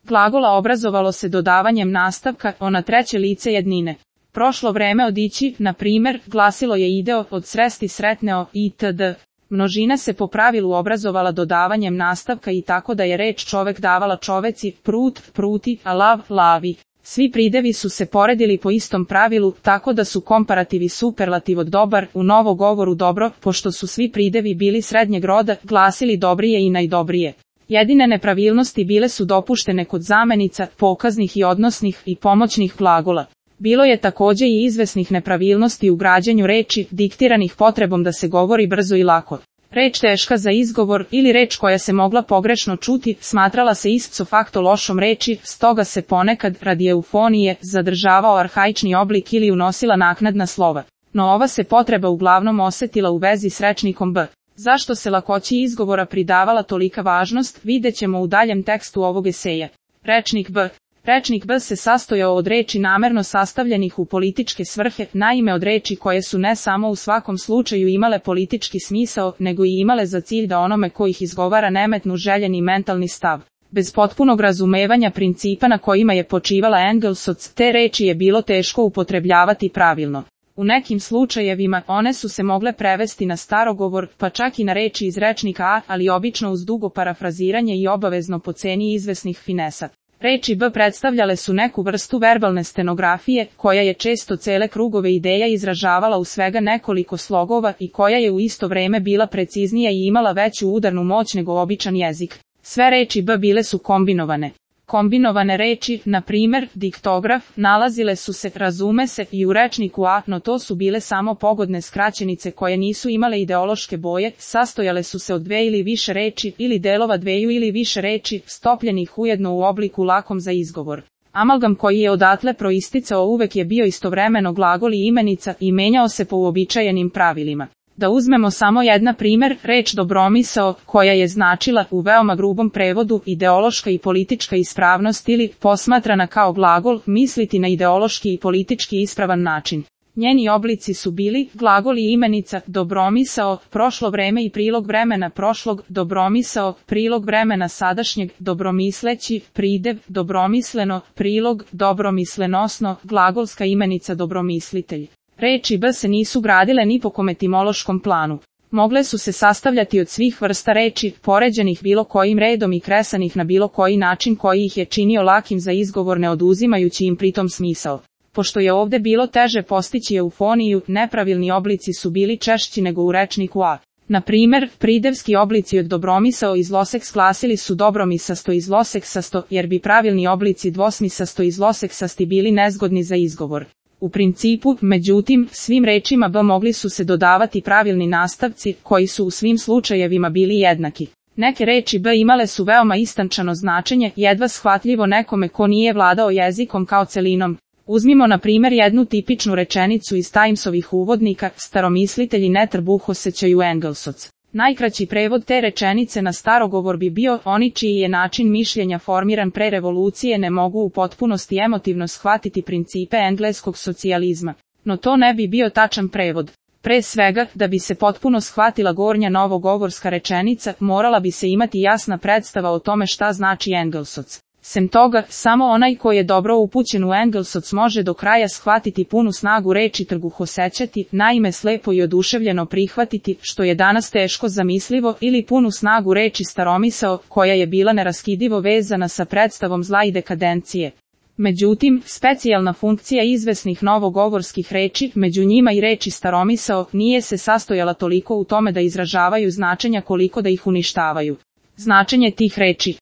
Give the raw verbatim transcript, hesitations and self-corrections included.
glagola obrazovalo se dodavanjem nastavka o na treće lice jednine. Prošlo vreme odići, na primer, glasilo je ideo, od sresti sretneo, itd. Množina se po pravilu obrazovala dodavanjem nastavka i tako da je reč čovek davala čoveci, prut, pruti, a lav, lavi. Svi pridevi su se poredili po istom pravilu, tako da su komparativi superlativ od dobar, u novogovoru dobro, pošto su svi pridevi bili srednjeg roda, glasili dobrije i najdobrije. Jedine nepravilnosti bile su dopuštene kod zamenica, pokaznih i odnosnih i pomoćnih glagola. Bilo je takođe i izvesnih nepravilnosti u građenju reči, diktiranih potrebom da se govori brzo i lako. Reč teška za izgovor ili reč koja se mogla pogrešno čuti, smatrala se ipso facto lošom reči, stoga se ponekad, radi eufonije, zadržavao arhaični oblik ili unosila naknadna slova. No ova se potreba uglavnom osetila u vezi s rečnikom b. Zašto se lakoći izgovora pridavala tolika važnost, videćemo u daljem tekstu ovog eseja. Rečnik b. Rečnik b se sastojao od reči namerno sastavljenih u političke svrhe, naime od reči koje su ne samo u svakom slučaju imale politički smisao, nego i imale za cilj da onome ko ih izgovara nemetnu željeni mentalni stav. Bez potpunog razumevanja principa na kojima je počivala Engelsoc, te reči je bilo teško upotrebljavati pravilno. U nekim slučajevima one su se mogle prevesti na starogovor, pa čak i na reči iz rečnika A, ali obično uz dugo parafraziranje i obavezno po ceni izvesnih finesa. Reči b predstavljale su neku vrstu verbalne stenografije, koja je često cele krugove ideja izražavala u svega nekoliko slogova i koja je u isto vreme bila preciznija i imala veću udarnu moć nego običan jezik. Sve reči b bile su kombinovane. Kombinovane reči, na primer, diktograf, nalazile su se, razume se, i u rečniku A, no to su bile samo pogodne skraćenice koje nisu imale ideološke boje, sastojale su se od dve ili više reči, ili delova dveju ili više reči, stopljenih ujedno u obliku lakom za izgovor. Amalgam koji je odatle proisticao uvek je bio istovremeno glagol i imenica i menjao se po uobičajenim pravilima. Da uzmemo samo jedna primer, reč dobromisao, koja je značila, u veoma grubom prevodu, ideološka i politička ispravnost ili, posmatrana kao glagol, misliti na ideološki i politički ispravan način. Njeni oblici su bili, glagol i imenica, dobromisao, prošlo vreme i prilog vremena prošlog, dobromisao, prilog vremena sadašnjeg, dobromisleći, pridev, dobromisleno, prilog, dobromislenosno, glagolska imenica dobromislitelj. Reči b se nisu gradile ni po kom etimološkom planu. Mogle su se sastavljati od svih vrsta reči, poređenih bilo kojim redom i kresanih na bilo koji način koji ih je činio lakim za izgovor ne oduzimajući im pritom smisao. Pošto je ovde bilo teže postići eufoniju, nepravilni oblici su bili češći nego u rečniku A. Na primer, pridevski oblici od dobromisao i zloseks glasili su dobromisasto i zloseksasto, jer bi pravilni oblici dvosmisasto i zloseksasti bili nezgodni za izgovor. U principu, međutim, svim rečima b mogli su se dodavati pravilni nastavci, koji su u svim slučajevima bili jednaki. Neke reči b imale su veoma istančano značenje, jedva shvatljivo nekome ko nije vladao jezikom kao celinom. Uzmimo na primjer jednu tipičnu rečenicu iz Timesovih uvodnika, staromislitelji ne trbuhosećaju Engelsoc. Najkraći prevod te rečenice na starogovor bi bio, oni čiji je način mišljenja formiran pre revolucije ne mogu u potpunosti emotivno shvatiti principe engleskog socijalizma. No to ne bi bio tačan prevod. Pre svega, da bi se potpuno shvatila gornja novogovorska rečenica, morala bi se imati jasna predstava o tome šta znači Engelsoc. Sem toga, samo onaj ko je dobro upućen u Engelsoc može do kraja shvatiti punu snagu reči trguhosećati, naime slepo i oduševljeno prihvatiti, što je danas teško zamislivo, ili punu snagu reči staromisao, koja je bila neraskidivo vezana sa predstavom zla i dekadencije. Međutim, specijalna funkcija izvesnih novogovorskih reči, među njima i reči staromisao, nije se sastojala toliko u tome da izražavaju značenja koliko da ih uništavaju. Značenje tih reči.